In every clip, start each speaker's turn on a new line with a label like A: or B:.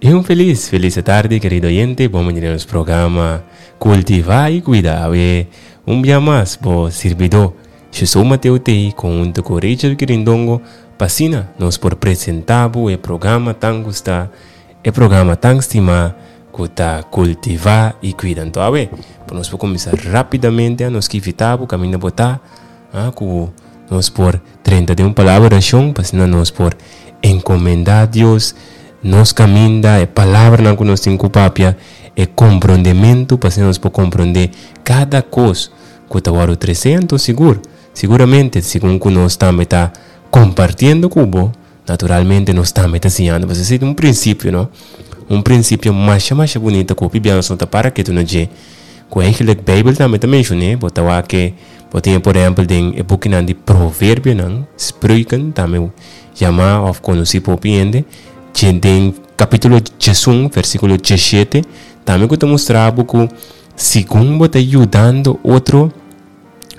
A: Y un feliz, feliz tarde, querido oyente. Bon bini na nos programa Cultiva y Cuida. Awe un bia mas bo sirbidó Jesús Mateo Tei conjunto cu Rachel Quirindongo pa asina nos por presenta bo e programa tan gusta, e programa tan stima cu ta Cultiva y Cuida. Anto awe pa nos por cuminsa rapidamente nos ki invita bo caminda bo ta. A ku nos por drenta den un palabra orashon pa asina nos por enkomendá Dios nos kaminda, e palabranan ku nos tin ku papia, e komprondementu pa asina nos por komprondé kada kos ku ta wòrdu tresé. Anto sigur, siguramente segun ku nos tambe ta kompartiendo ku bo, Naturalmente nos tambe ta siñando pasobra esei ta un prinsipio no, un prinsipio masha masha bunita ku hopi bia nos no ta para ketu na dje, ku eigenlijk beibel tambe ta menshon'é, bo ta wak ke bo tin por ehèmpel den e bukinan di proverbionan, Spreuken tambe yamá òf konosí pa hopi hende, dje den kapítulo diesun versíkulo diesshete tambe ku ta mustra bo ku segun bo ta yudando otro,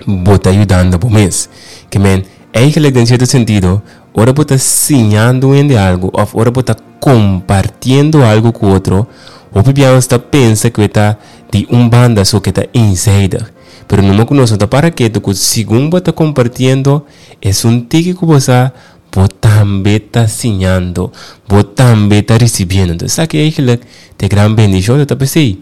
A: bo ta yudando bo mes. Ke men, eigenlijk den sierto sentido, ora bo ta siñando un hende algu òf ora bo ta kompartiendo algu ku otro, hopi bia nos ta pensa ku e ta di un banda so ku e ta eenzijdig. Pero numa ku nos no ta para ketu ku segun bo ta kompartiendo esun tiki ku bo sa, bo tambe ta siñando, bo tambe ta risibiendo. Entonces esaki eigenlijk ta e gran bendishon, ta p'esei.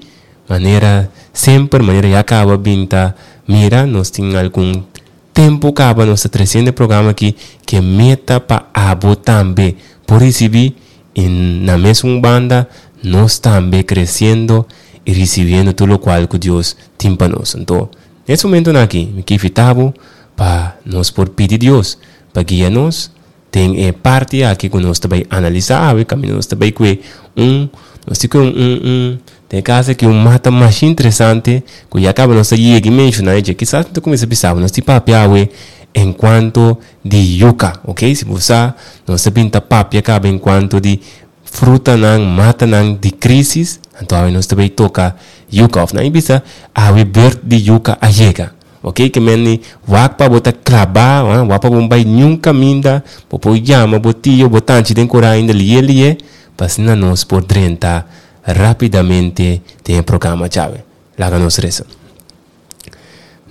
A: Manera semper, manera ya caba bin ta mira, nos tin algun tempo caba nos ta treciendo e programa aki ke meta pa abo tambe por ricibi y na mesun banda nos tambe creciendo y ricibiendo tur locual cu Dios tin pa nos. Anto, nes momentonan aki mi ke invita bo pa nos por pidi Dios pa guia nos Den e parti aki ku nos ta bai analisá awe kaminda nos ta bai kue un nos tin kue un un un den e kas aki un mata masha interesante ku ya kaba nos ta yega i menshoná e dje kisas mi ta kuminsá bisa bo nos tin papia awe enkuanto di yuka ok si bo sa nos ta bin ta papia kaba enkuanto di frutanan matanan di krisis anto awe nos ta bai toka yuka òf nan a bisa awe bèrt di yuka a yega. Ok ke men ni wak pa bo ta klabá ha wak pa bo bai niun kaminda bo por yama bo tio bo tanchi den kura ainda lié lié pa asina nos por drenta rápidamente den e programa djawe laga nos resa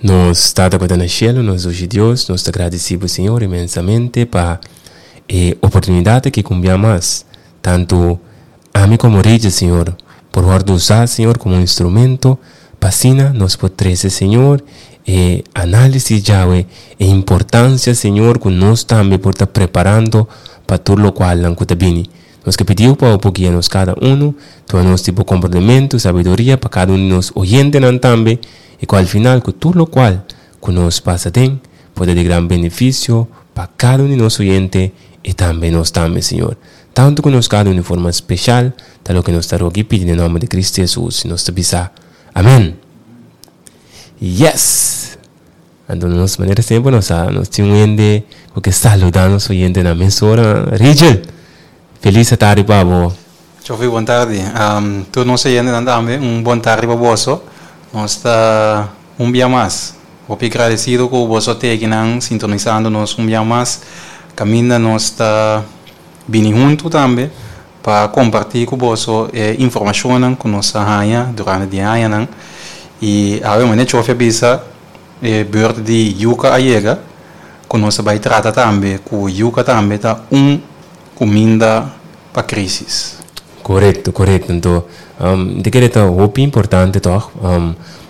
A: Nos Tata ku ta na shelu nos dushi Dios nos ta gradisí bo Señor inmensamente pa e oportunidat aki ku un bia mas tantu Ami komo Reyes, Señor, por wòrdu usá, Señor, komo un instrumento pa asina nos por trese, Señor, e análisis djawe, e importansia, Señor, ku nos tambe por ta preparando pa tur lokualnan ku ta bini. Nos ke pidiu pa bo por guia nos kada unu, duna nos di bo komprondementu, sabiduria pa kada un di nos oyentenan tambe, i ku al final ku tur lokual ku nos pasa den por ta di gran benefisio pa kada un di nos oyente i tambe nos tambe, Señor. Tantu ku nos kada un di forma speshal ta loke nos ta roga i pidi den nòmber di Kristu Hesus, nos ta bisa, Amèn! Yes! Anto nos manera semper nos sa, nos tin un hende ku ke saludá nos oyentenan mesora. Rigel, felis atardi pa bo.
B: Chofi, bon tardi. Tur nos oyentenan tambe, un bon tardi pa boso. Nos ta un bia mas hopi gradesido ku boso te akinan sintonisando nos un bia mas. Kaminda nos ta Bini huntu tambe pa kompartí ku boso e informashonnan ku nos a haña durante di e añanan. I awe manera Chofi a bisa e beurt di yuka a yega ku nos a bai trata tambe ku yuka tambe ta un kuminda pa krisis.
A: Korekto, korekto. Anto mi ta kere ta hopi importante tòg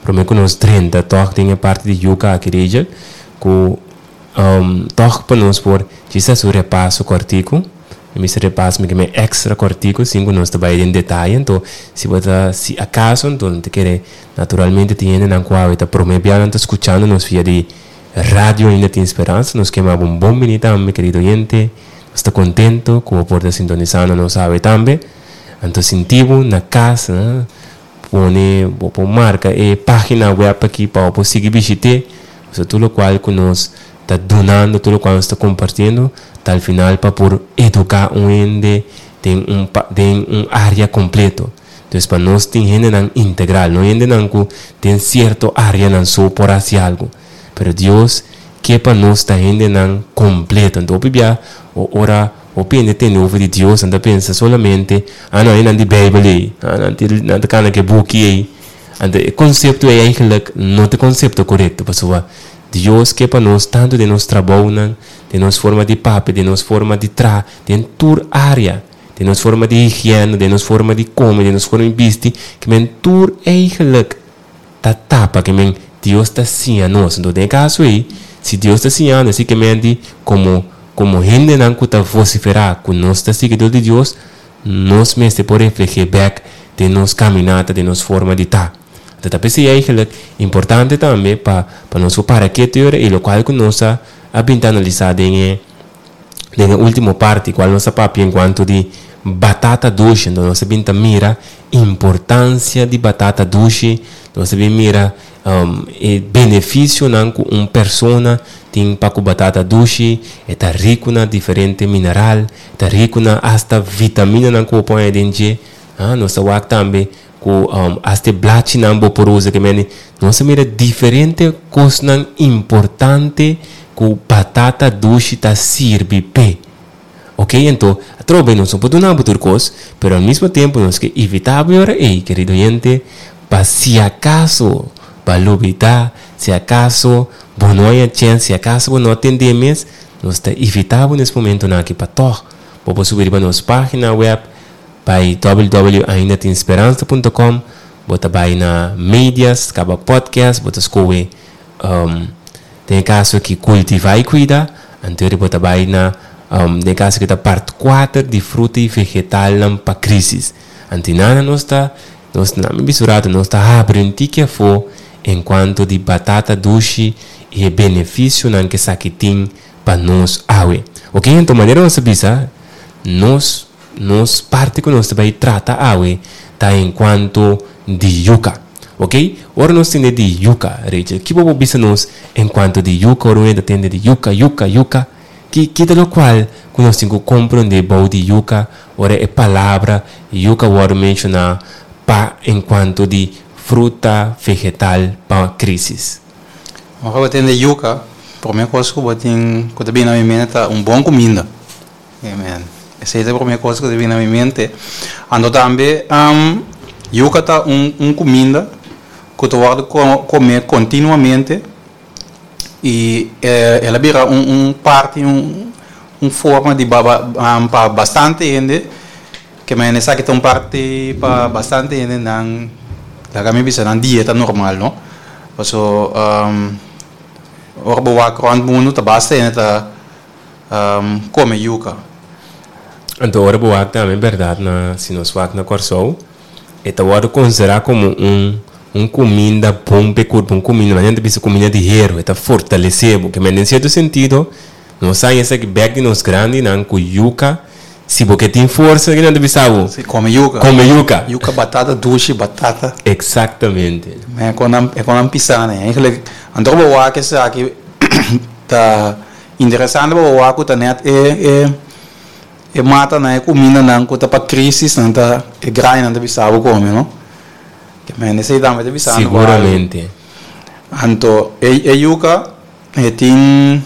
A: promé ku nos drenta tòg den e parti di yuka aki Rachel ku Tòg pa nos por djis hasi un repaso kòrtiku. Mi mester repaso mi ke men èkstra kòrtiku sin ku nos ta bai den detaye. Anto si bo ta si akaso anto no ta kere naturalmente tin hendenan ku awe ta promé bia nan ta skuchando nos via di radio Ainda Tin Speransa. Nos ke maba un bon bini tambe kerido oyente. Nos ta kontento ku bo por ta sintonisando nos awe tambe. Anto sinti bo na kas. Pone bo por marca e pagina web aki pa bo por sigui bishit'é. Pasobra tur locual cu nos ta dunando, tur locual nos ta compartiendo ta al final pa por educa un hende den un den un area completo. Entonces pa nos tin hendenan integral, no hendenan cu den cierto areanan so por haci algo. Pero Dios ke pa nos ta hendenan completo. Anto hopi bia ora. Hopi hende tende over di Dios, nan ta pensa solamente, ah no, einan di Bijbel ei, ah nan tin nan ta kana ku e buki ei. Anto e konsepto ei eigenlijk no ta e konsepto korekto, pasobra Dios ke pa nos tantu den nos trabounan, den nos forma di papia, den nos forma di traha, den tur área, den nos forma di higiena, den nos forma di kome, den nos forma di bisti, ke men tur eigenlijk ta tapa, ke men Dios ta siña nos. Anto den e kaso ei, si Dios ta siña nos, si ke men di komo komo hendenan ku ta vosiferá ku nos ta siguidor di Dios, nos mester por refleh'é bèk den nos kaminata, den nos forma di ta. Anto ta p'esei eigenlijk importante tambe pa pa nos por para ketu e ora ei, lokual ku nos a a bin ta analisá den e den e último parti kual nos a papia enkuanto di batata dushi. Anto nos a bin ta mira importansia di batata dushi, nos a bin mira e benefisionan ku un persona tin pa ku batata dushi, e ta riku na diferente mineral, e ta riku na asta vitaminanan ku bo por haña den dje. Nos ta wak tambe ku asta e blachinan bo por usa ke mende. Nos a mira diferente kosnan importante ku batata dushi ta sirbi p'e. Ok, anto, atrobe nos no por duna bo tur kos, pero al mismo tempo nos ke invitá bo e ora ei, kerido oyente, pa si akaso bo a lubidá, si akaso bo no haña chèns, si akaso bo no a tendé mes, nos ta invitá bo nes momentonan aki pa tòg bo por subi riba nos página wèb bai www.aindatinSperansa punto com, bo ta bai na medias, kaba podcast, bo ta skohe Den e kaso aki kultivá i kuida, anto bo ta bai na den e kaso aki ta part kuater di fruta i vegetalnan pa krisis. Anto nana nos ta nos na mi bisa un rato nos ta habri un tiki afó enkuanto di batata dushi i e benefisionan ku esaki tin pa nos awe. Oke anto manera nos a bisa nos nos parti ku nos ta bai trata awe ta enkuanto di yuka. Ok, ora nos tende di yuka, Rachel, ki bo por bisa nos en cuanto di yuka? Ora un hende ta tende di yuka, yuka, yuka, ki ki ta locual cu nos tin cu comprende bou di yuka ora e palabra yuka wordo menciona pa en cuanto di fruta vegetal pa crisis?
B: Ora bo tende yuka, prome cos cu bo tin cu ta bini na mi mente ta un bon cuminda. Amen. Esei ta e promé kos ku ta bini na mi mente. Anto tambe yuka ta un un kuminda ku ta wòrdu komé kontinuamente i el a bira un un parti un un forma di pa bastante hende ke men esaki ta un parti pa bastante hende nan laga mi bisa nan dieta normal no paso ora bo wak rònt mundu ta basta hende ta Come yuca.
A: Anto ora bo wak tambe berdad na si nos wak na Kòrsou e ta wòrdu konsiderá komo un un kuminda bon p'e kurpo un kuminda nan ta bisa kuminda di heru e ta fortalesé bo kimen den sierto sentido nos a haña esaki bèk di nos grandinan ku yuka si bo ke tin forsa ke nan ta bisa bo
B: Si come yuca.
A: Come yuca.
B: Yuca batata dushi batata.
A: Exactamente.
B: E kon nan e kon nan pisa nan eigenlijk anto bo wak esaki ta. Interesante pa bo wak ku ta nèt e e e matanan, e kumindanan ku ta pa krisis nan ta e grañanan ta bisa bo kome no. Ke men esei tambe ta bisa bo algu.
A: Siguramente.
B: Anto e e yuka e tin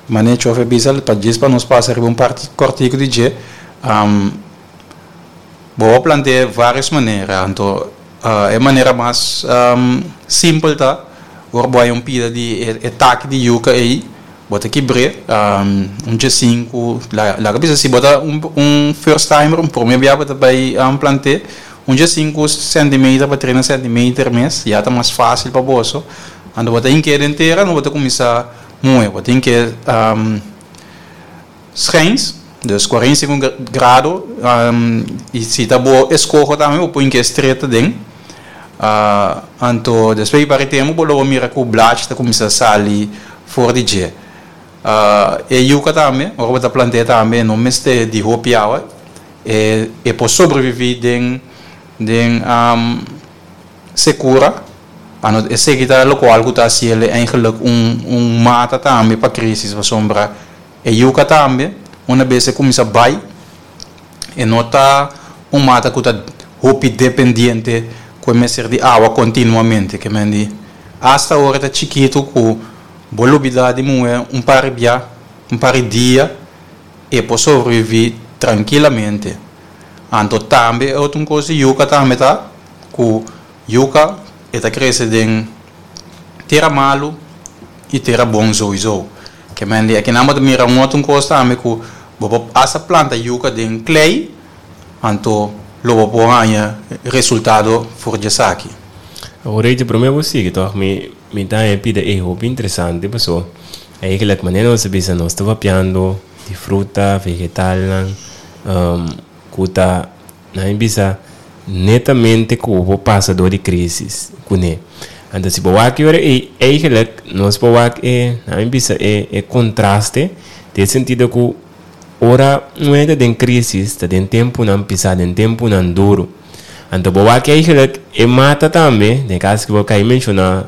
B: manera chofer bisa pa djis pa nos pasa riba un parti kòrtiku di dje bo por plant'é vários manera anto E manera mas simpel ta ora bo haña un pida di e taki di yuka ei, bo ta kibr'é un djesinku, laga bisa si bo ta un first timer, un prome bia bo ta bai plant'é, un djesinku sentimeter pa treinta sentimeter mes ya ta mas fásil pa boso. Anto bo ta hink'é den tera, bo ta kuminsá muhe, bo ta hink'é. Schijns, dus 45 grado, y si ta bo escoho tambe bo por hinca e streta den, anto despues di par di tempo bo lo por mira cu blachi ta cuminsa sali for di dje. E yuca tambe, ora bo ta plant'e tambe no mester di hopi awa, e por sobrevivi den den secura, anto eseki ta locual cu ta haciele eigenlijk un un mata tambe pa crisis pasobra. E yuka tambe, una bes e kuminsá bai, e no ta un mata ku ta hopi dependiente ku e mester di awa kontinuamente. Ke men di, asta ora e ta chikitu ku bo lubidá di muhé un par di bia, un par di dia, e por sobreviví trankilamente. Anto tambe e otro un kos di yuka tambe ta ku yuka e ta krese den tera malu i tera bon souiso. Ke men di akinan bo ta mira un otro kos tambe ku bo por asta planta yuka den klei anto lo bo por haña resultado for di esaki.
A: Awor Rachel prome bo sigui tòg mi mi ta haña pida e hopi interesante paso eigenlijk manera nos a bisa nos ta papiando di fruta, vegetalnan ku ta nan a bisa netamente ku bo pasa dor di crisis kuné. Anto si bo wak e ora ei eigenlijk nos por wak e nan a bisa e e contraste den sentido ku ora un hende ta den crisis ta den tempunan pisá den tempunan duru. Anto bo wak eigenlijk e mata tambe den caso ku bo kai menshoná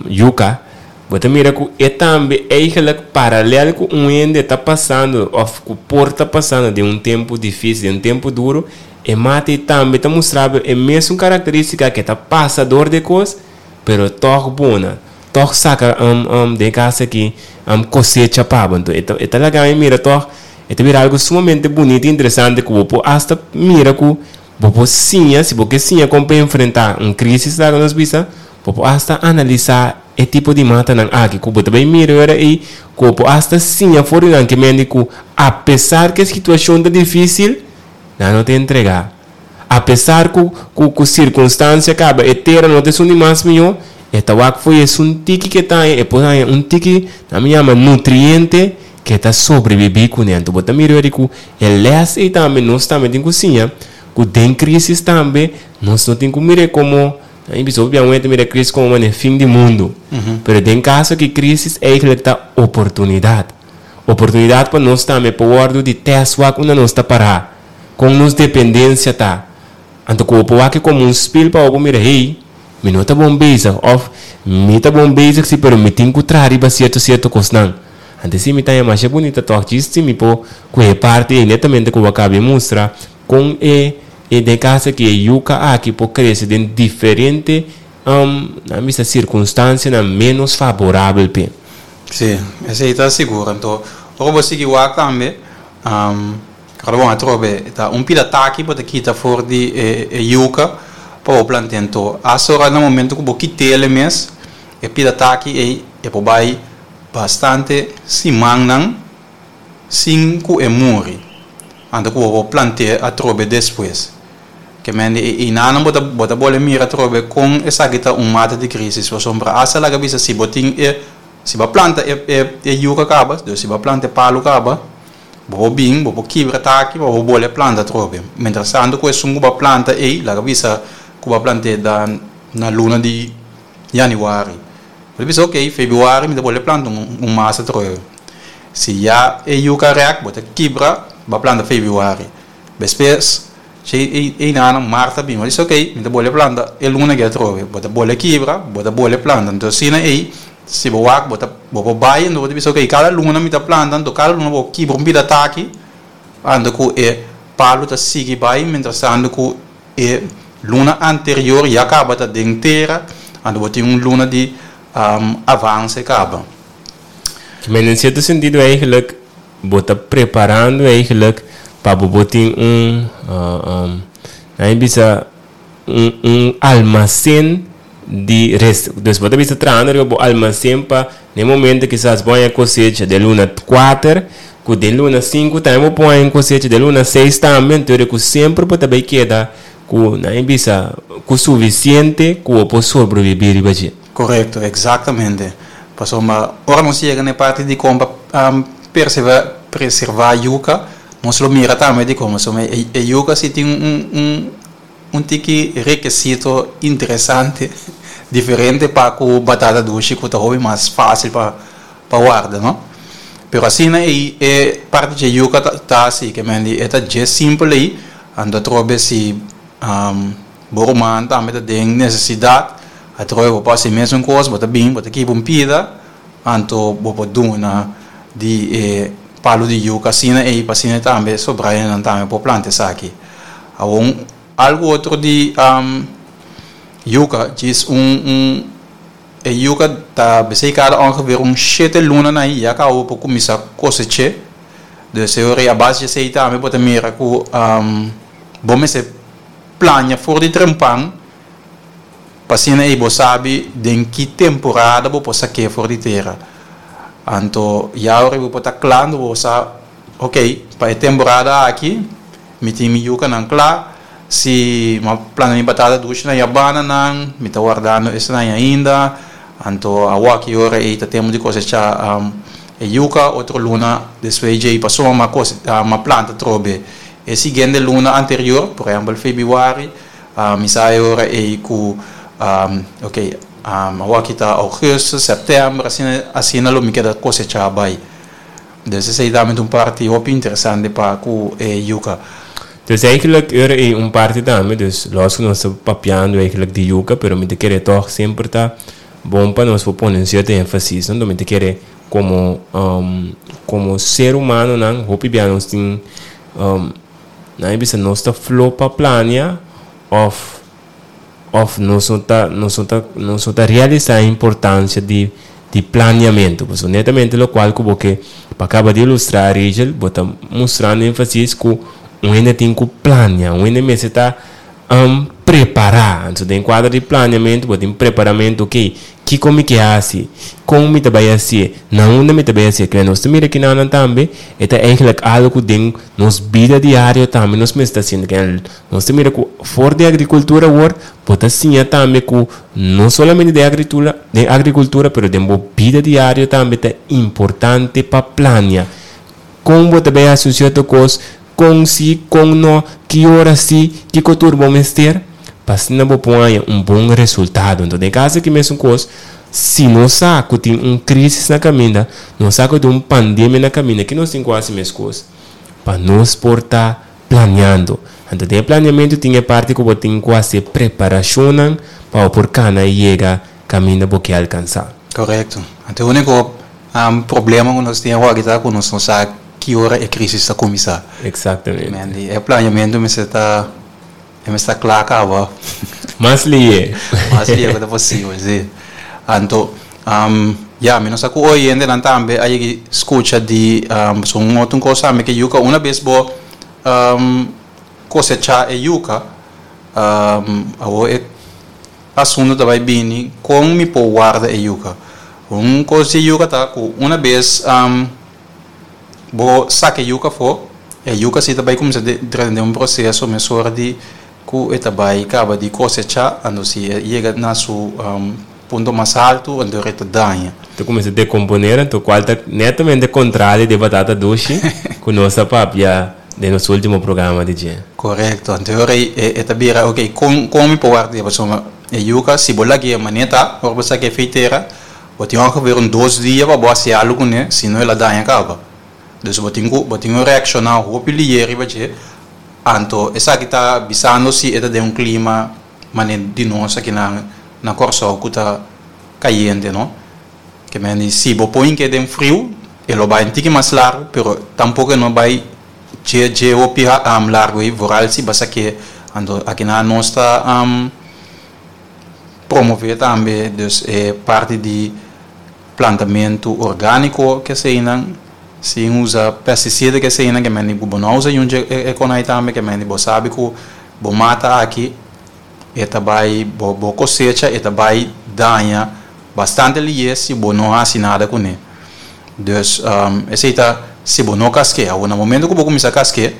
A: yuka. Bo ta mira ku e tambe eigenlijk paralel ku un hende ta pasando òf ku por ta pasando den un tempu difísil, den un tempu duru, e mata ei tambe ta mustra bo e mesun karakterístika ku e ta pasa dor di e kos, pero tòg bona, tòg saka den e kas aki kosecha pa bo. Anto e ta e ta laga mi mira tòg e ta bira algu sumamente bunita i interesante ku bo por asta mira ku bo por siña, si bo ke siña kon pa enfrentá un krísis laga nos bisa, Bo por asta analisá e tipo di matanan aki ku bo ta bai mira ora ei ku bo por asta siña for di nan ke mende ku apesar ku e situashon ta difísil, nan no ta entregá. Apesar ku ku ku sirkunstansia kaba e tera no ta esun di mas mihó, e ta wak fo'i esun tiki ke ta haña, e por haña un tiki nan mi yama nutriente ke ta sobrebibí kuné. Anto bo ta mira ora ei ku e lès ei tambe nos tambe tin ku siña ku den krísis tambe nos no tin ku mir'é komo Nan bisa hopi biaha ta mira crisis como manera fin di mundo. Pero den caso aki crisis eigenlijk ta oportunidad. Oportunidad pa nos tambe por wordo di test wak unda nos ta para. Con nos dependencia ta. Anto cu bo por wak como un spiel pa bo por mira hey, mi no ta bon bezig of mi ta bon bezig si pero mi tin cu traha riba cierto cierto cosnan. Anto si mi ta haña masha bunita toch djis si mi por coge parti ey netamente cu bo a caba di mustra Kon e e den kaso ki e yuka aki por krese den diferente nan bisa sirkunstansianan ménos faborabel p'e.
B: Sí, esei ta sigur. Anto, ora bo sigui wak tambe, ora bon atrobe ta un pida taki bo ta kita for di e e yuka pa bo plant'é. Anto, asta ora na momento ku bo kit'el mes, e pida taki ei e por bai bastante simannan sin ku e muri, anto ku bo por plant'é atrobe despues. Ke mende e einanan bo ta bo ta bole mira atrobe kon esaki ta un mata di krisis, pasobra asta laga bisa si bo tin e si bo a planta e e e yuka kaba, dus si bo a planta e palu kaba, bo por bin bo por kibra taki pa bo bole planta atrobe. Mientras tanto ku esun ku bo a planta ei laga bisa ku bo a plant'é na luna di yanüari. Bo ta bisa ok, febrüari mi ta bole planta un un mas atrobe. Si ya e yuka rèk, bo ta kibra, bo a planta febrüari. Despues, si e einanan mart ta bin, bo ta bisa ok, mi ta bole planta e luna aki atrobe. Bo ta bole kibra, bo ta bole planta. Anto asina ei, si bo wak, bo ta bo por bai, anto bo ta bisa ok, kada luna mi ta planta, anto kada luna bo kibra un bida taki, anto ku e palu ta sigui bai, mientrastanto ku e luna anterior ya kaba ta den tera, anto bo tin un luna di avanse kaba.
A: Men den cierto sentido eigenlijk bo ta preparando eigenlijk pa bo por tin un nan e bisa un un almacen di res dus bo ta bisa trahando riba bo almacen pa den momento kisas bo haña cosecha den luna kuater ku den luna sinku tambe bo por haña un cosecha den luna seis tambe anto ku semper bo ta bay keda ku nan e bisa ku suficiente ku bo por sobrevivi riba dje.
B: Korekto, eksaktamente. Pasobra ora nos yega na e parti di kon pa preservá yuka, nos lo mira tambe di kon. Pasobra e yuka si tin un un tiki rekesito interesante, diferente pa ku batata dushi ku ta hopi mas fásil pa pa warda, no? Pero asina ei e parti dje yuka ta hasi, ke men di e ta dje simpel ei, anto atrobe si. Bo ruman tambe ta den nesesidat, atrobe bo por hasi mesun kos, bo ta bin, bo ta kiba un pida, anto bo por duna di e palu di yuka asina ei, pa asina tambe sobrayanan tambe por planta esaki. Awor algu otro di yuka, djis un un e yuka ta besei kada ongeveer un shete lunanan ei ya kaba bo por kuminsá kosech'é. Dus e ora ei a base di esei tambe bo ta mira ku bo mester plania for di trempan pa asina ei bo sabi den ki temporada bo por sak'é for di tera. Anto ya ora bo por ta kla anto bo sa ok pa e temporada aki mi tin mi yukanan kla, si mi a planta mi batata dushi na yabananan mi ta wardando esnan ainda, anto awor ki ora ei ta tempu di kosechá e yuka, otro luna despues djei pasobra mi a mi a planta atrobe e siguiente luna anterior, por ehèmpel febrüari. Mi sa e ora ei ku ok awor aki ta augustus, sèptèmber, asina asina lo mi keda kosechá bai. Dus esei tambe ta un parti hopi interesante pa ku e yuka.
A: Dus eigenlijk e ora ei un parti tambe, dus los ku nos ta papiando eigenlijk di yuka, pero mi ta kere tòg semper ta bon pa nos por pone un sierto énfasis, no? Mi ta kere komo komo ser humanonan hopi bia nos tin. Nan a bisa nos ta flo pa plania of of nos no ta nos no ta nos no ta realisa e importancia di di planeamento. Pasobra netamente locual cu bo ke pa caba di ilustra Rachel bo ta mustrando enfasis cu un hende tin cu plania, un hende mester ta Prepará. Anto den kuadro di planeamentu bo tin preparamentu, ok, kiko mi ke hasi? Kon mi ta bai hasié? Na unda mi ta bai hasié? Kende nos ta mira kinanan tambe e ta eigenlijk algu ku den nos bida diario tambe nos mester ta haciendo. Kende nos ta mira ku for di agrikultura awor bo ta siña tambe ku no solamente den agritura den agrikultura pero den bo bida diario tambe ta importante pa plania. Kon bo ta bai hasi un sierto kos? Kon si, kon no, ki ora si, kiko tur bo mester, pa asina bo por haña un bon resultado. Enton den kaso aki mesun kos, si nos sa ku tin un krisis na kaminda, nos sa ku tin un pandemia na kaminda, ki nos tin ku hasi mes kos? Pa nos por ta planeando. Anto den e planeamentu tin e parti ku bo tin ku hasi e preparashonnan pa bo por kana i yega kaminda bo ke alkansá.
B: Korekto. Anto e úniko problema ku nos tin awor aki ta ku nos no sa ki ora e crisis ta cuminsa.
A: Exactamente.
B: Mandy, e planeamento mester ta, e mester ta cla caba.
A: Mas lihe.
B: Mas lihe cu ta posibel, si. Anto, ya, mi no sa cu oyentenan tambe a yegi scucha di, pasobra un otro cos tambe cu e yuca, una bes bo cosecha e yuca, awor e asunto ta bay bini con mi por warda e yuca. Un cos di e yuca ta cu una bes. Bo saka e yuka afó, e yuka si ta bai kuminsá drenta den un proseso mesora di ku e ta bai kaba di kosechá, anto si e yega na su punto mas haltu anto e ta daña.
A: Ta kuminsá dekomponer anto kual ta netamente kontrario di e batata dushi ku nos a papia den nos ultimo programa di dje.
B: Korekto, anto e ora ei e ta bira ok kon kon mi por warda e pasobra e yuka si bo lag'é manera ta ora bo saka e feitera Bo tin ongeveer un dos dia pa bo hasi algu kuné, si no el a daña kaba. Dus bo tin ku bo tin ku reakshoná hopi lihe riba dje. Anto esaki ta bisando si e ta den un klima manera di nos aki na na Kòrsou ku ta kayente no. Ke men di si bo pon ke den friu e lo bai un tiki mas largu pero tampoko e no bai dje dje hopi largu ei vooral si bo a sak'é. Anto aki nan nos ta. Promové tambe dus e parti di plantamentu orgániko ke eseinan, sin usa pestisida ke eseinan, ke mende ku bo no usa yunchi e konai tambe, ke mende bo sabi ku bo mata aki e ta bai bo bo kosecha e ta bai daña bastante liye si bo no hasi nada kuné. Dus esei ta si bo no kask'é. Awor na momento ku bo kuminsá kask'é.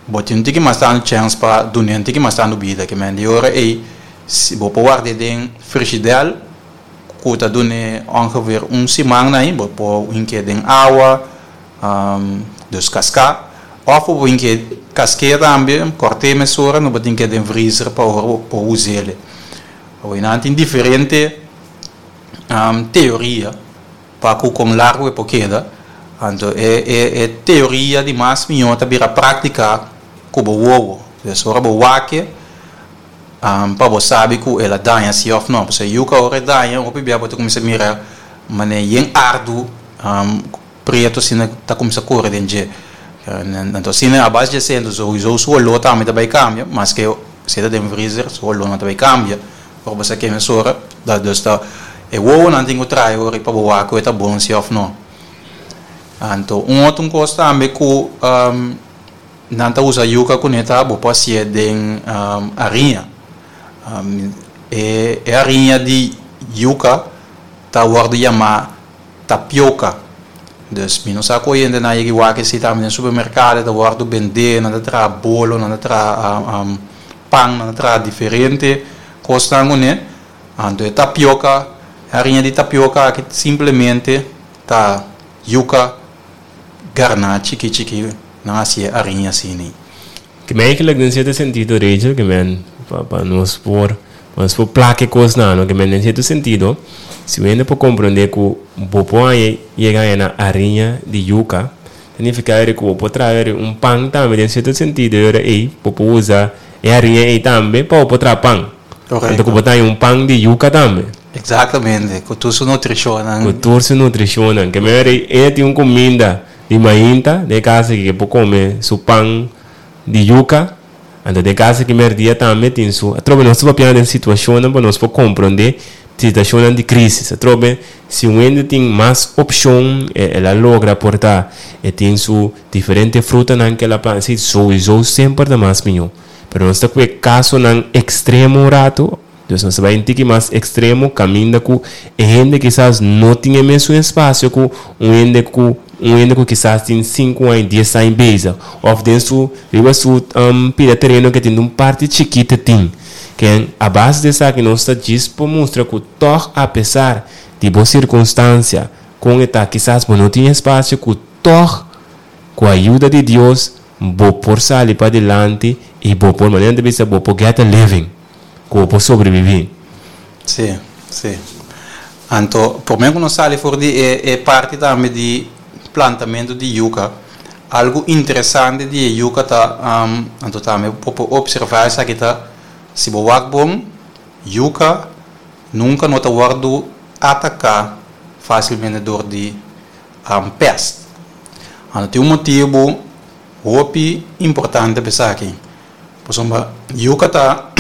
B: Bo tin un tiki mas tantu chèns pa dun'é un tiki mas tantu bida. Ke men di ora ei, si bo por ward'é den frishidèl ku ta dun'é ongeveer un siman na ei, bo por hink'é den awa, dus kaská, òf bo por hink'é kask'é tambe, kòrt'é mesora, no bo tin k'é den vrizer pa ora bo por us'é. Awor nan tin diferente teoria. Pa ku kon largu e por keda. Anto e e e teoria di mas mihó ta bira práktika ku bo wowo. Dus ora bo wak e, pa bo sabi ku el a daña si òf no. Pasobra yuka ora e daña hopi bia bo ta kuminsá mira manera yen ardu pretu asina ta kuminsá kore den dje. Anto asina a base di esei anto souiso su oló tambe ta bai kambia maske si e ta den vrizer su oló no ta bai kambia. Ora bo sa keme mesora, da dus ta e wowonan tin ku traha ora pa bo wak ku e ta bon si òf no. Anto un otro kos tambe ku nan ta usa yuka kuné ta bo por hasié den hariña. E e hariña di yuka ta wòrdu yamá tapioka. Dus mi no sa ku hoyentenan yega wak esei tambe den supermerkado e ta wòrdu bendé, nan ta traha bolo, nan ta traha pan, nan ta traha diferente kosnan kuné. Anto e tapioka, e hariña di tapioka aki simplemente ta yuka garná chiki chiki, nan hasi e hariña asina.
A: Ke men eigenlijk den cierto sentido Rachel ke men pa pa nos por pa nos por plak e kosnan no ke men den cierto sentido si un hende por comprende ku bo por haña yega haña na hariña di yuka ta nifica eri ku bo por traha eri un pan tambe den cierto sentido e ora ey bo por usa e hariña ey tambe pa bo por traha pan anto ku bo ta haña un pan di yuka tambe.
B: Exactamente ku tur su nutrishonnan.
A: Ku tur su nutrishonnan ke men eri e tin un kuminda Di mainta den casa ki ke por come su pan di yuca, anto den casa ki merdia tambe tin su. Atrobe nos ta papiando den situacionnan pa nos por comprende situacionnan di crisis. Atrobe si un hende tin mas opcion, el a logra por ta e tin su diferente frutanan ke el a planta, si souiso semper ta mas miho. Pero nos ta cu e casonan extremo un rato. Dus nos ta bai un tiki mas ekstremo kaminda ku e hende kisas no tin e mesun espasio ku un hende ku un hende ku kisas tin sinku aña, dies aña bezig òf den su riba su pida tereno ke tin un parti chikito tin. Ken a base di esaki nos ta djis por mustra ku tòg apesar di bo sirkunstansia kon e ta kisas bo no tin espasio ku tòg ku ayuda di Dios bo por sali padilanti i bo por manera nan ta bisa bo por get a living. Ku bo por sobreviví.
B: Sí, sí. Anto, promé ku nos sali for di e e parti tambe di plantamentu di yuka, algu interesante di e yuka ta, anto tambe bo por opservá esaki ta, si bo wak bon, yuka nunka no ta wòrdu ataká fásilmente dor di pèst. Anto tin un motibu hopi importante pa esaki. Pasobra yuka ta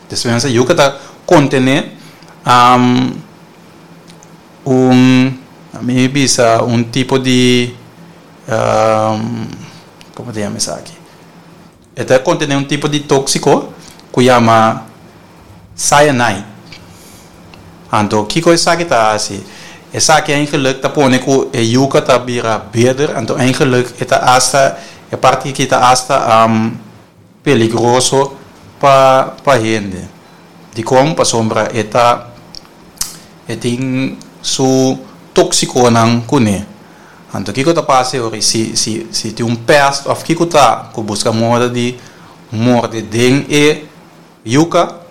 B: despensa yuka ta kontené un mi bisa un tipo di komo ta yama esaki e ta kontené un tipo di tóksiko ku yama cyanide anto kiko esaki ta hasi esaki eigenlik ta pone ku e yuka ta bira beder anto eigenlik e ta asta E parti aki ta asta peligroso pa pa hende. Dikon? Pasobra e ta e tin su toksikonan kuné. Anto kiko ta pasa e ora si si si tin un pèst òf kiko ta ku buska moda di morde den e yuka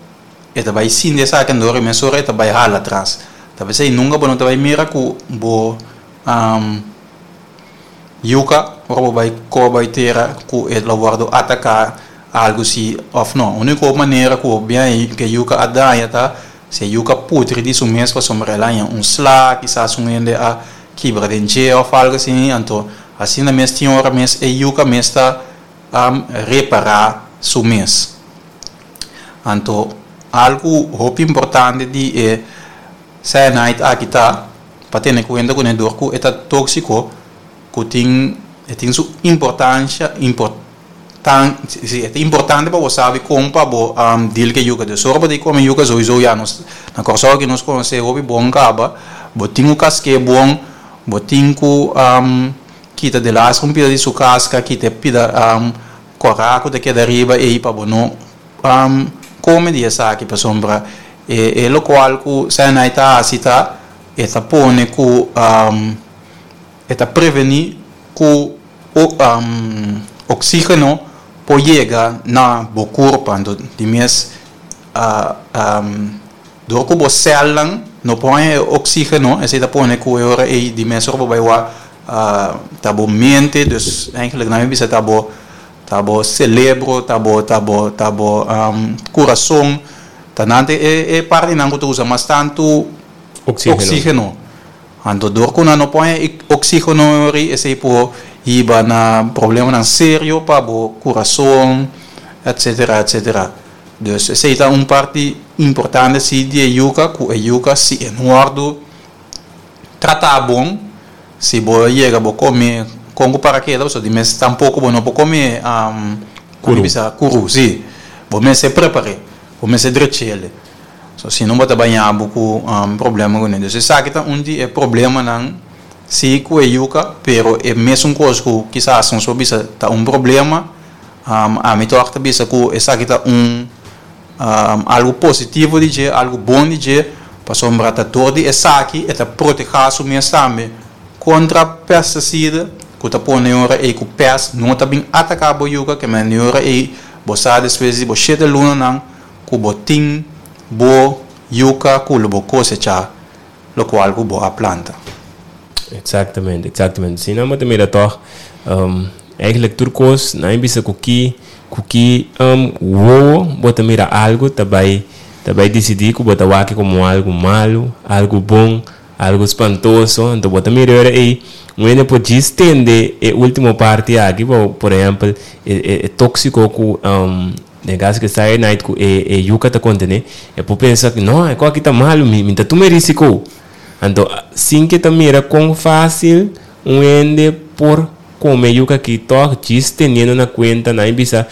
B: e ta bai sinti esaki andor i mesora e ta bai hala atras. Ta p'esei nunka bo no ta bai mira ku bo Yuka, ora bo bai koba e tera ku e lo wòrdu ataká algu si òf no. Úniko manera ku bo biaña ku e yuka a daña ta si e yuka putri di su mes pasobra el a haña un sla, kisas un hende a kibra den dje òf algu asina, anto asina mes tin ora mes e yuka mes ta repará su mes. Anto algu hopi importante di e cyanide aki ta. Pa tene kuenta ku dor ku e ta tóksiko ku tin e tin su importansha importan si e ta importante pa bo sabi kon pa bo deal ku e yuka. Dus ora bo ta kome yuka souiso ya nos na Kòrsou aki nos konosé hopi bon kaba bo tin ku kask'é bon bo tin ku kita delas un pida di su kaska kita e pida kòrá ku ta keda riba ei pa bo no Kome di esaki pasobra e lokual ku cyanide ta hasi ta e ta pone ku e ta prevení ku oksígeno por yega na bo kurpa anto di mes dor ku bo sèlnan no por haña e oksígeno esei ta pone ku e ora ei di mes ora bo bai wak ta bo mente dus eigenlijk nan mi bisa ta bo Ta bo celebro, ta bo, ta bo, ta bo curason, ta nan ta e e partinan cu ta usa mas tantu
A: Oxigeno.
B: oxigeno. Anto dor cu nan no por haña e oxigeno ori esey por hiba na problemanan serio pa bo curason, etcetera, etcetera. Dus esey ta un parti importante si di e yuca, cu e yuca si e no wordo trata bon. Si bo yega bo come con cu parakeda pasobra di mes tampoco bo no por come
A: Curu.
B: Bisa curu, si. Bo mester prepare, bo mester drechele. So si no bo ta baña bo cu problema cune. Dus esaki ta un di e problemanan si cu e yuca, pero e mesun cos cu kisas nos por bisa ta un problema, ami toch ta bisa cu esaki ta un Algu positivo di dje, algu bon di dje, pasobra ta dor di esaki e ta protehá su mes tambe kontra pestisida ku ta pone ora ei ku pèst no ta bin ataká bo yuka, ke manera ora ei bo sa despues di bo shete lunanan ku bo tin bo yuka ku lo bo kosechá lokual ku bo a planta.
A: Exactamente, exactamente. Si nan bo ta mira tog, eigenlijk tur kos, nan a bisa ku ki, ku ki wowo bo ta mira algu ta bai, ta bai disidí ku bo ta wak komo algu malu, algu bon, algu spantoso. Anto bo ta mira e ora ei, un hende por djis tende e último parti aki, bo, por ehèmpel, e e e tóksiko ku den kaso ku e cyanide ku e e yuka ta kontené, e por pensa, no, e kos aki ta malu, mi mi ta tuma e risiko. Anto, sin ke ta mira kon fásil un hende por kome yuka aki tòg, djis teniendo na kuenta nan e bisa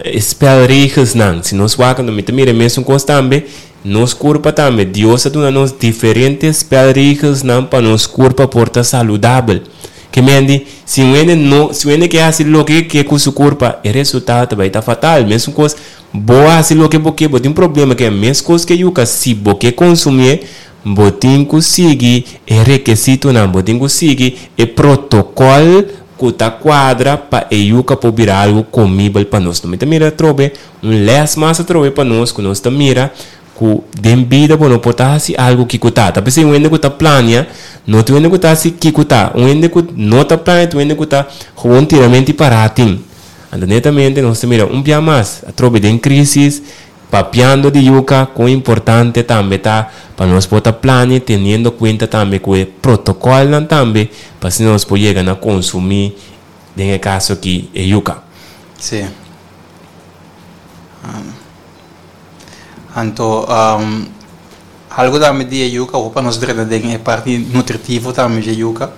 A: e spelregelsnan. Si nos wak, anto mi ta mira e mesun kos tambe, nos kurpa tambe, Dios a duna nos diferente spelregelsnan pa nos kurpa por ta saludabel. Ke men di, si un hende no, si un hende ke hasi loke e ke ku su kurpa, e resultado ta bai ta fatal. Mesun kos Bo hasi loke bo ke, bo tin problema ke meskos ke yuka, si bo ke konsumié, bo tin ku sigui e rekesitonan, bo tin ku sigui e protokòl ku ta kuadra pa e yuka por bira algu komibel pa nos. Mi ta mira atrobe un lès mas atrobe pa nos ku nos ta mira ku den bida bo no por ta hasi algu kiko ta. Ta p'esei un hende ku ta plania no ta un hende ku ta hasi kiko ta. Un hende ku no ta plania ta un hende ku ta gewoon tiramenti pará tin. Anto netamente nos ta mira un bia mas atrobe den crisis, papiando di yuca, con importante tambe ta pa nos por ta plania teniendo cuenta tambe cu e protocolnan tambe pa asina nos por yega na consumi den e caso aki e yuca.
B: Sí. Anto algo tambe di e yuca, awor pa nos drenta den e parti nutritivo tambe di e yuca,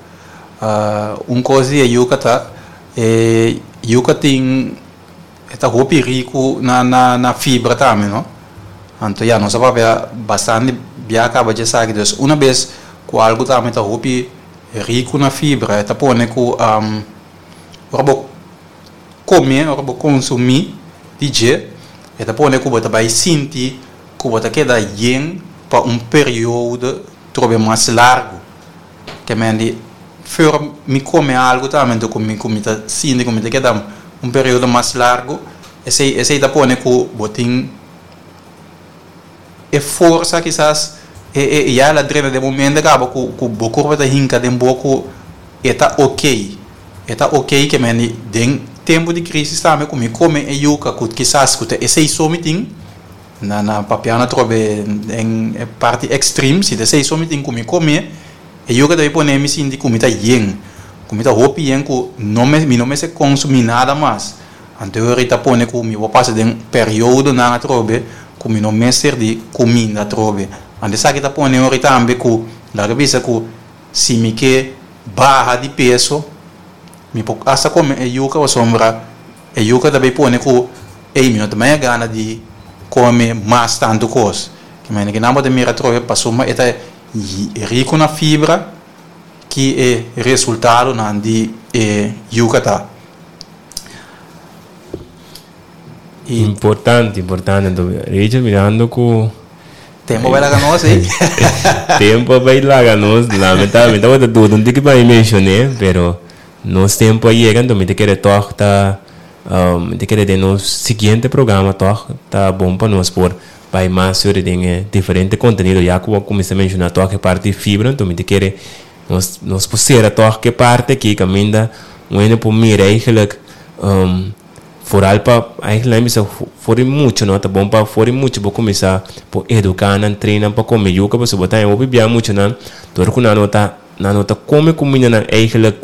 B: un cos di e yuca ta E yuca tin e ta hopi riku na na na fibra tambe no. Anto ya nos a papia bastante bia caba dje esaki dus una bes cu algo tambe ta hopi riku na fibra e ta pone cu ora bo come ora bo consumi di dje e ta pone cu bo ta bay sinti cu bo ta keda yen pa un periodo trobe mas largo. Ke men di for mi kome algu tambe anto ku mi ku mi ta sinti ku mi ta keda un periodo mas largu esei esei ta pone ku bo tin e forsa kisas e e ya el a drenta den bo mente kaba ku ku bo kurpa ta hinka den bo ku e ta okey e ta okey ke men di den tempu di krisis tambe ku mi kome e yuka ku kisas ku ta esei so mi tin. Na na papiano atrobe den e parti extreme, si ta esei so mi tin ku mi kome, e yuka ta bin pone mi sinti ku mi ta yen, ku mi ta hopi yen ku no me mi no mester konsumí nada mas. Anto e ora ta pone ku mi por pasa den periodonan atrobe ku mi no mester di kuminda atrobe. Anto esaki ta pone ora tambe ku laga bisa ku si mi ke baha di peso mi por asta kome e yuka pasobra E yuka ta bay pone ku, ey, mi no ta maya gana di kome mas tantu kos. Ki manera ki nan bo ta mira atrobe pasobra e ta riku na fibra ki e resultadonan di e yuka ta.
A: Importante, importante. Anto, Rachel, mirando ku.
B: Tempo a bay laga nos, ey.
A: Tempo a bay laga nos. Lamentablemente, mi tabata duda un tiki pa mi mencion'é, pero. Nos tempu a yega, anto mi ta kere tòg ta, mi ta kere den nos siguiente programa tòg ta bon pa nos por bai mas sobre den e diferente kontenido. Ya ku bo a kuminsá menshoná tòg e parti di fibra, anto mi ta kere nos nos por sera tòg ku e parti aki kaminda un hende por mira eigenlijk foral pa eigenlijk nan bisa for di mucha no, ta bon pa for di mucha bo kuminsá por eduká nan, train nan pa kome yuka pasobra bo ta haña hopi bia muchanan dor ku nan no ta. Nan no ta kome kumindanan eigenlijk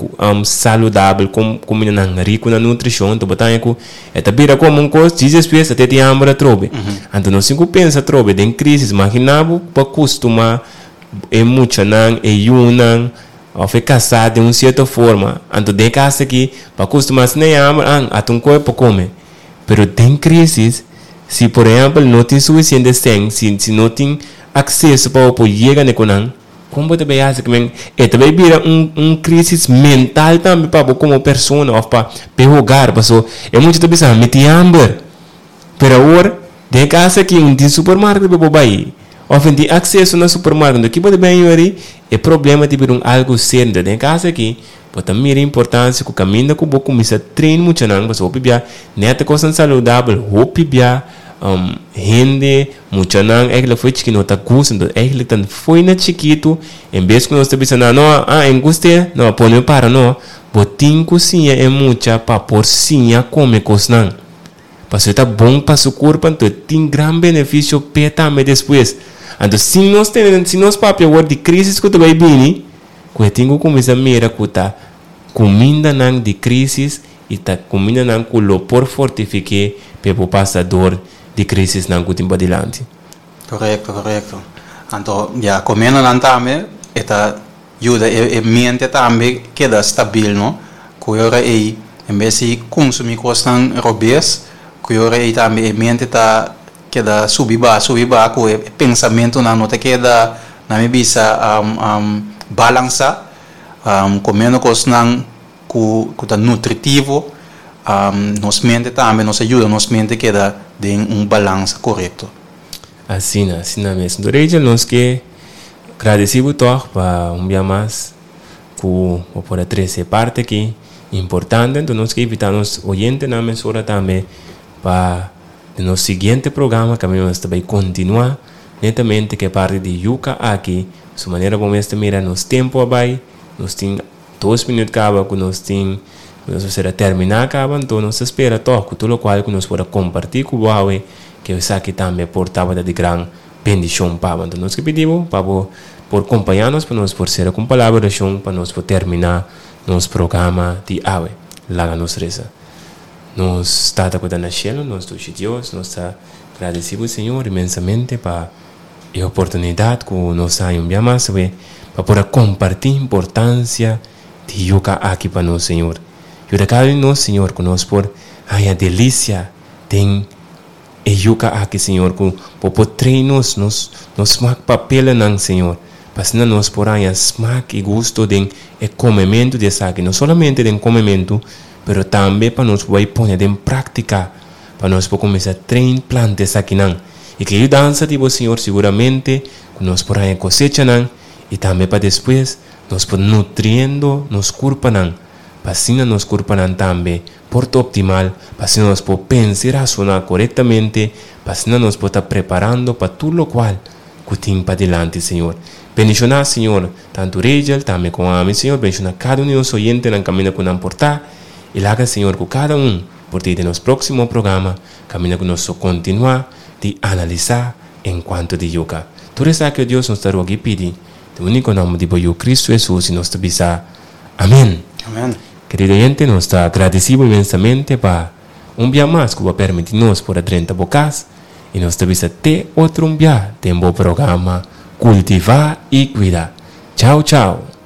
A: saludabel, kumindanan riku na nutrishon. Anto bo ta haña ku e ta bira komo un kos djis despues ta te tin hamber atrobe. Anto nos tin ku pensa atrobe den krisis. Magina bo pa kustumá e muchanan, e yunan. òf e kasá den un sierto forma, anto den e kas aki bo a kustumá asina e hamber, an, ata un koe por kome. Pero den krísis, si por ehèmpel no tin sufisiente sèn, si si no tin akseso pa bo por yega na e konan, kon bo ta bai hasi? Kimen e ta bai bira un un krísis mental tambe pa bo komo persona òf pa pa e hogar, paso e mucha ta bisa, mi tin hamber. Pero awor, den e kas aki un tin supermarket pa bo bai, òf un tin akseso na supermarket. Anto ki bo ta bin yori? E problema ta bira un algu serio. Anto den e kas aki, bo ta mira importansia ku kaminda ku bo kuminsá train muchanan, pasobra hopi bia nèt e kosnan saludabel, hopi bia hende, muchanan eigentlik fo'i chikí no ta gusta. Anto eigentlik ta fo'i na chikitu, en bes ku nos ta bisa nan, no, ah, e gust'é, no, pone para, no. Bo tin ku siña e mucha pa por siña kome kosnan. Pasobra e ta bon pa su kurpa, anto e tin gran benefisio p'e tambe despues. Anto si nos tene, si nos papia awor di krísis ku ta bai bini, ku e tin ku kuminsá mira ku ta kumindanan di krísis i ta kumindanan ku lo por fortifik'é p'e por pasa dor di krísisnan ku tin padilanti.
B: Korekto, korekto. Anto, ya, komendonan tambe e ta yuda e mente tambe keda stabil, no? Ku e ora ei, en bes di kunsumí kosnan robes, ku e ora ei tambe e mente ta keda subi baha, subi baha, ku e pensamentunan no ta keda, nan mi bisa, balansá. Komiendo kosnan ku ta nutritivo, nos mente tambe, nos a yuda nos mente keda den un balansa korekto.
A: Asina, asina mes. Enton Rachel, nos ke gradeci bo tog pa un bia mas ku bo por a trece e parti aki importante. Enton nos ke invita nos oyentenan mesora tambe pa den nos siguiente programa kaminda nos ta bay continua netamente ku e parti di yuca aki. Su manera bo mes ta mira nos tempo a bay, nos tin dos minuut caba ku nos tin ku nos mester a termina caba. Enton nos ta spera tog ku tur locual ku nos por a comparti ku bo awe Ke esaki tambe por tabata di gran bendishon pa bo. Anto nos ke pidi bo pa bo por kompañá nos pa nos por sera ku un palabra di orashon pa nos por terminá nos programa di awe. Laga nos resa. Nos Tata ku ta na shelu, nos dushi Dios, nos ta gradisí bo Señor inmensamente pa e oportunidat ku nos a haña un bia mas awe pa por a kompartí importansia di yuka aki pa nos Señor. Yuda kada un di nos Señor ku nos por haña delisia Den e yuka aki, Señor, ku Bo por train nos, nos, nos smak papelanan, Señor, pa asina nos por haña smak i gusto den e komementu di esaki, no solamente den komementu, pero tambe pa nos por bai pone den práktika, pa nos por kuminsá train planta esakinan. I ku e yudansa di Bo, Señor, siguramente ku nos por haña kosechanan i tambe pa despues nos por nutriendo nos kurpanan, pa asina nos kurpanan tambe por ta optimal, pa asina nos por pensa i rasoná korektamente, pa asina nos por ta preparando pa tur lokual ku tin padilanti, Señor. Bendishoná, Señor, tantu Rachel, tambe kon ami, Señor, bendishoná kada un di nos oyentenan kaminda ku nan por ta, i laga, Señor, ku kada un por ta i den nos próksimo programa kaminda ku nos lo kontinuá di analisá en kuanto di yuka. Tur esaki, o Dios, nos ta roga i pidi den úniko nòmber di bo Yu Kristu Hesus, i nos ta bisa, Amén.
B: Amén.
A: Kerido oyente, nos ta gradisí bo inmensamente pa un bia mas ku bo a permití nos por a drenta bo kas i nos ta bisa te otro un bia den bo programa Kultivá i Kuida. Chao chao.